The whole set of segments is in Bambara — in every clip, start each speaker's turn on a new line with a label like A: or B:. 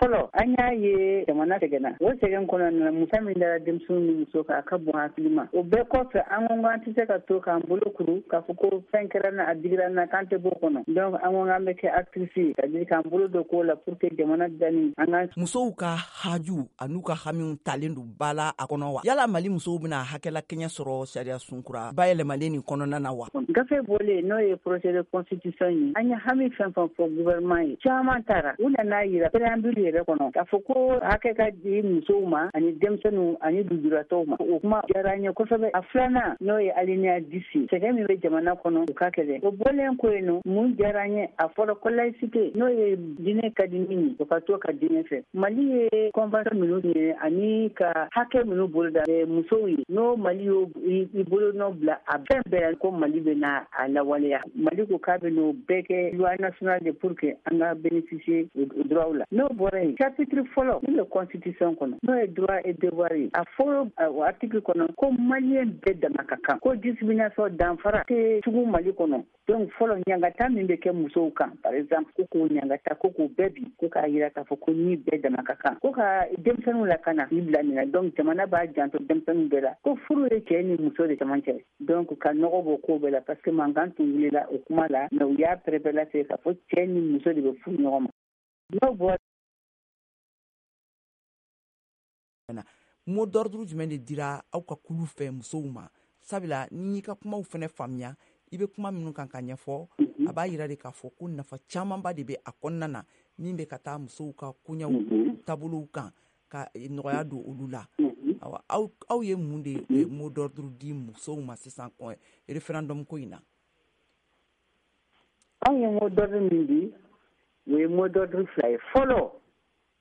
A: Fɔlɔ, an y'a ye jamana sɛgɛnna. O sɛgɛn kɔnɔna na, musa min dara denmisɛnninw ni muso kan, a ka bon hakili ma. O bɛɛ kɔfɛ, an ko an tɛ se ka to k'an bolo kuru k'a fɔ ko fɛn kɛra na, a digira na, k'an tɛ bɔ kɔnɔ. Donc an ko k'an bɛ kɛ actrice ye, c'est à dire k'an bolo don ko la pour que jamana dilanni an ka
B: Musow ka haju an'u ka hamiw talen don ba la a kɔnɔ wa? Yala Mali musow bɛna hakɛlakɛɲɛ sɔrɔ sariya sunkura bayɛlɛmalen nin kɔnɔna na wa?
A: Gafe bɔlen, n'o ye projet de constitution ye, an ye hami fɛn fɛn fɔ gouvernement ye, caman taara. U nana yira préambule yɛrɛ kɔnɔ k'a fɔ ko hakɛ ka di musow ma ani denmisɛnninw ani lujuratɔw ma. O kuma diyara an ye kosɛbɛ. A filanan, n'o ye alinéa 10 ye, sɛgɛn min bɛ jamana kɔnɔ, u ka kɛlɛ o bɔlen ko yen nɔ. Mun diyara an ye? A fɔra ko laïcité, n'o ye diinɛ ka di min ye, o ka to ka diinɛ fɛ. Mali ye convention minnu ye ani ka hakɛ minnu boloda musow ye, n'o Mali y'o i bolo nɔ bila a fɛn bɛɛ, ko Mali bɛ na a lawaleya. Mali ko k'a bɛ n'o bɛɛ kɛ loi nationale de pour que an ka bénéficier o droit la. N'o bɔra yen, chapitre fɔlɔ min bɛ constitution kɔnɔ, n'o ye droit et devoir ye, a fɔlɔ, o article kɔnɔ ko Malien bɛɛ dama ka kan, ko discrimination, danfara tɛ tugun Mali kɔnɔ. Donc fɔlɔ, ɲangata min bɛ kɛ musow kan, par exemple, ko k'o ɲangata, ko k'o bɛɛ bi, ko k'a yira k'a fɔ ko ni bɛɛ dama ka kan, ko ka denmisɛnninw lakana k'i bila nin na. Donc jamana b'a janto denmisɛnninw bɛɛ la, ko furu ye cɛ ni muso de camancɛ. Donc ka nɔgɔ bɔ ko bɛɛ la, parce que mankan tun wulila o kuma la, mais u y'a pɛrɛpɛrɛlatigɛ k'a fɔ cɛ ni muso de bɛ furu ɲɔgɔn ma. N'o bɔra
B: Mot d'ordre jumɛn de dira aw ka kulu fɛ musow ma? Sabula n'i y'i ka kumaw fɛnɛ faamuya, i bɛ kuma minnu kan ka ɲɛfɔ, a b'a yira de k'a fɔ ko nafa camanba de bɛ a kɔnɔna na min bɛ ka taa musow ka koɲɛw taabolow kan ka nɔgɔya don olu la. Awa, aw ye mun de mot d'ordre di musow ma sisan kɔ référendum ko in na?
A: Anw ye mot d'ordre min di, o ye mot d'ordre fila ye. Fɔlɔ,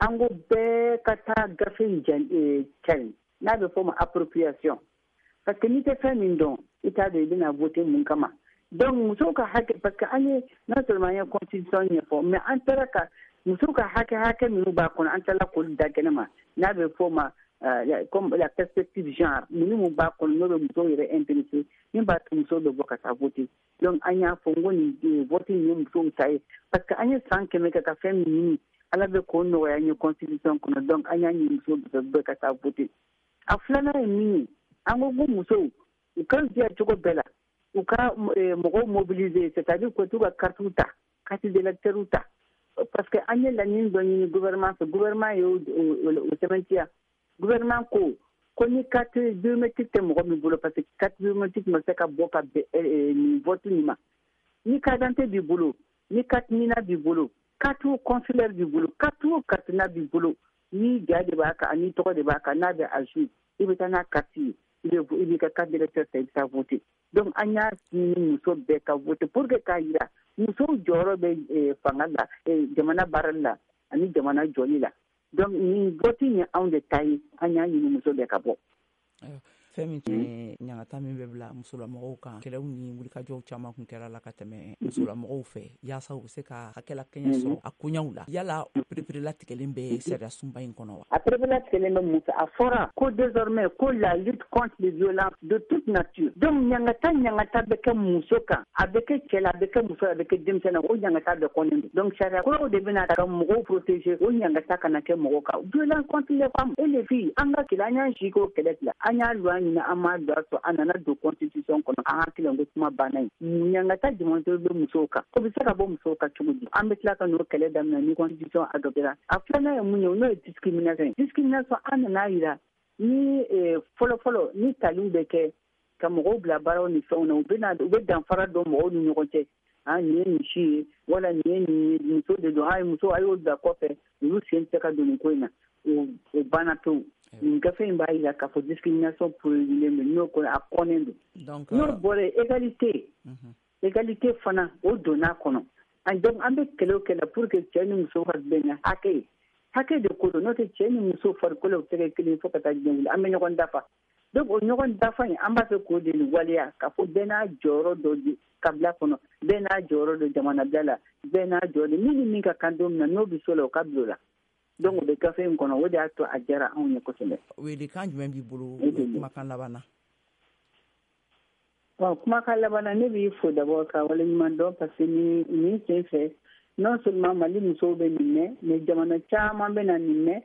A: an ko bɛɛ ka taa gafe in cari, n'a bɛ fɔ o ma appropriation, parce que n'i tɛ fɛn min dɔn, i t'a dɔn i bɛna voter mun kama. Donc musow ka hakɛ, parce que an ye, non seulement an ye constitution ɲɛfɔ, mais an taara ka musow ka hakɛ minnu b'a kɔnɔ, an taara k'olu da kɛnɛ ma, n'a bɛ fɔ o ma comme la perspective genre, ninnu mun b'a kɔnɔ, n'o bɛ musow yɛrɛ intéressé, min b'a to musow bɛ bɔ ka taa voter. Donc an y'a fɔ n ko nin vote in ye musow ta ye, parce que an ye san 100 kɛ ka fɛn min ɲini, Ala bɛ k'o nɔgɔya an ye constitution kɔnɔ. Donc an y'a ɲini musow bɛɛ ka taa voter. A filanan ye min ye, an ko ko musow u ka jɛ cogo bɛɛ la, u ka mɔgɔw mobiliser, c'est-à-dire ko t'u ka carte ta, carte d'électeur ta, parce que an ye laɲini dɔ ɲini gouvernement fɛ, gouvernement y'o o sɛbɛntiya. Gouvernement ko ko ni carte biométrique tɛ mɔgɔ min bolo, parce que carte biométrique ma se ka bɔ ka bɛn nin vote nin ma, ni carte d'identité b'i bolo, ni carte NINA b'i bolo, carte consulaire b'i bolo, carte o carte n'a b'i bolo, ni ja de b'a kan ani tɔgɔ de b'a kan, n'a bɛ à jour, i bɛ taa n'a carte ye, i b'i ka carte d'électeur ta, i bɛ taa voter. Donc an y'a ɲini muso bɛɛ ka voter pour que k'a yira musow jɔyɔrɔ bɛ fanga la, jamana baarali la ani jamana jɔli la. Donc nin vote ye anw de ta ye, an y'a ɲini muso bɛɛ ka bɔ.
B: Fɛn min tun ye ɲangata min bɛ bila musolamɔgɔw kan, kɛlɛw ni wulikajɔw caman kun kɛra la ka tɛmɛ musolamɔgɔw fɛ yaasa u bɛ se ka hakɛlakɛɲɛ sɔrɔ a koɲaw la. Yala o pereperelatigɛlen bɛ sariya sunba in kɔnɔ wa?
A: A pereperelatigɛlen bɛ mun fɛ? A fɔra ko désormais ko la lutte contre les violences de toute nature. Donc ɲangata bɛ kɛ muso kan, a bɛ kɛ cɛ la, a bɛ kɛ muso la, a bɛ kɛ denmisɛn na, o ɲangata bɛɛ kɔnnen don. Donc sariya kuraw de bɛna ka mɔgɔw protéger, o ɲangata kana kɛ mɔgɔw kan. Violence contre les femmes et les filles, an ka kɛlɛ, an y'an si k'o kɛlɛ la, an y'a loi ɲini, an m'a loi sɔrɔ, a nana don constitution kɔnɔ, an hakili ko kuma banna yen. Ɲangata jumɛn bɛ musow kan? O bɛ se ka bɔ musow kan cogo di? An bɛ tila ka n'o kɛlɛ daminɛ ni constitution adoptera. A filanan ye mun ye? N'o ye discrimination ye. Discrimination, an nana yira ni fɔlɔ fɔlɔ, ni taliw bɛ kɛ ka mɔgɔw bila baaraw ni fɛnw na, u bɛ na, u bɛ danfara dɔn mɔgɔw ni ɲɔgɔn cɛ. Ah, nin ye nin si ye, wala nin ye nin ye, muso de don, ah, muso, a y'o bila kɔfɛ, olu sen tɛ se ka don nin ko in na. O banna pewu. Nin gafe in b'a yira k'a fɔ discrimination prohibilen don, n'o kɔni a kɔnnen don. N'o bɔra yen, égalité fana, o donna kɔnɔ. Donc an bɛ kɛlɛ o kɛlɛ pour que cɛ ni muso ka bɛn ni hakɛ ye, hakɛ de ko don, n'o tɛ cɛ ni muso farikolo tɛ kɛ kelen fo ka taa diɲɛ wuli, an bɛ ɲɔgɔn dafa. Donc o ɲɔgɔn dafa in, an b'a fɛ k'o de waleya, k'a fɔ bɛɛ n'a jɔyɔrɔ dɔ di kabila kɔnɔ, bɛɛ n'a jɔyɔrɔ don jamana bila la, bɛɛ n'a jɔyɔrɔ, min ni min ka kan don min na, n'o bɛ so la, o ka bila o la. Donc o bɛ gafe in kɔnɔ, o de y'a to a diyara anw ye kosɛbɛ.
B: Welekan jumɛn b'i bolo kumakan laban na?
A: Bon, kumakan laban na, ne b'i fo d'abord ka waleɲuman dɔn, parce que nin sen fɛ Non seulement Mali musow bɛ nin mɛn, mais jamana caman bɛ na nin mɛn.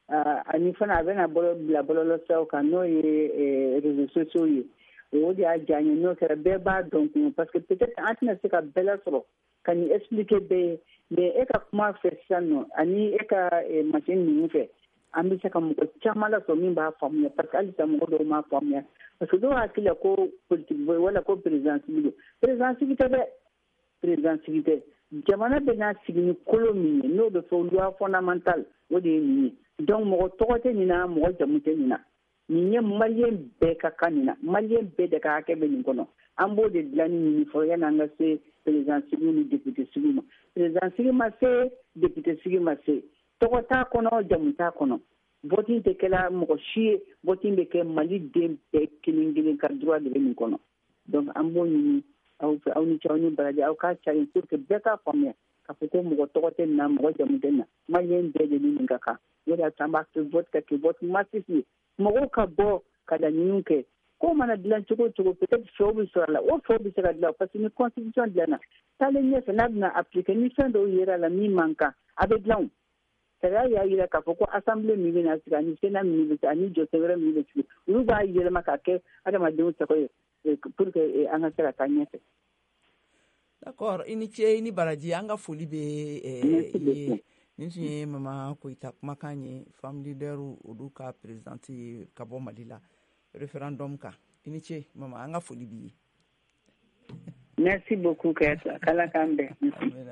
A: Ani fana, a bɛna bila bɔlɔlɔsiraw kan, n'o ye réseaux sociaux ye. O de y'a diya n ye. N'o kɛra, bɛɛ b'a dɔn kun, parce que peut-être an tɛna se ka bɛɛ lasɔrɔ ka nin expliquer bɛɛ ye. Mais e ka kuma fɛ sisan nɔ, ani e ka machine ninnu fɛ, an bɛ se ka mɔgɔ caman lasɔrɔ min b'a faamuya, parce que halisa mɔgɔ dɔw m'a faamuya, parce que dɔw hakili la ko politique wala ko président sigi don. Président sigi tɛ dɛ, président sigi tɛ. Jamana bɛ n'a sigi ni kolo min ye, n'o bɛ fɔ loi fondamentale, o de ye nin ye. Donc mɔgɔ tɔgɔ tɛ nin na, mɔgɔ jamu tɛ nin na. Nin ye Malien bɛɛ ka kan nin na, Malien bɛɛ de ka hakɛ bɛ nin kɔnɔ. An b'o de dilanni ɲini fɔlɔ yanni an ka se président sigi ni député sigi ma. Président sigi ma se, député sigi ma se, tɔgɔ t'a kɔnɔ, jamu t'a kɔnɔ, vote tɛ kɛla mɔgɔ si ye. Vote bɛ kɛ Mali den bɛɛ kelen kelen ka droit de bɛ nin kɔnɔ. Donc an b'o ɲini aw fɛ. Aw ni ce, aw ni baraji. Aw k'a cari pour que bɛɛ k'a faamuya k'a fɔ ko mɔgɔ tɔgɔ tɛ nin na, mɔgɔ jamu tɛ nin na, Malien bɛɛ de ni nin ka kan. O de y'a to an b'a fɛ vote ka kɛ vote massif ye, mɔgɔw ka bɔ ka laɲiniw kɛ. Ko mana dilan cogo o cogo, peut-être fɛw bɛ sɔrɔ a la, o fɛw bɛ se ka dilan, parce que ni constitution dilanna, taalen ɲɛfɛ, n'a bɛna appliquer, ni fɛn dɔw yera la min man kan, a bɛ dilan. O sariya y'a jira k'a fɔ ko assemblée min bɛna sigi, ani sénat min bɛ sigi, ani jɔsen wɛrɛ min bɛ sigi, olu b'a yɛlɛma ka kɛ adamadenw sago ye pour que an ka se ka taa ɲɛfɛ.
B: D'accord, i ni ce, i ni baraji. An ka foli bɛ ye. Nin tun ye Mama Koyita kumakan ye, femme leader olu ka présidente ye ka bɔ Mali la, référendum kan. I ni ce mama, an ka foli b'i ye.
A: Merci beaucoup Kayata, k'Ala k'an bɛn.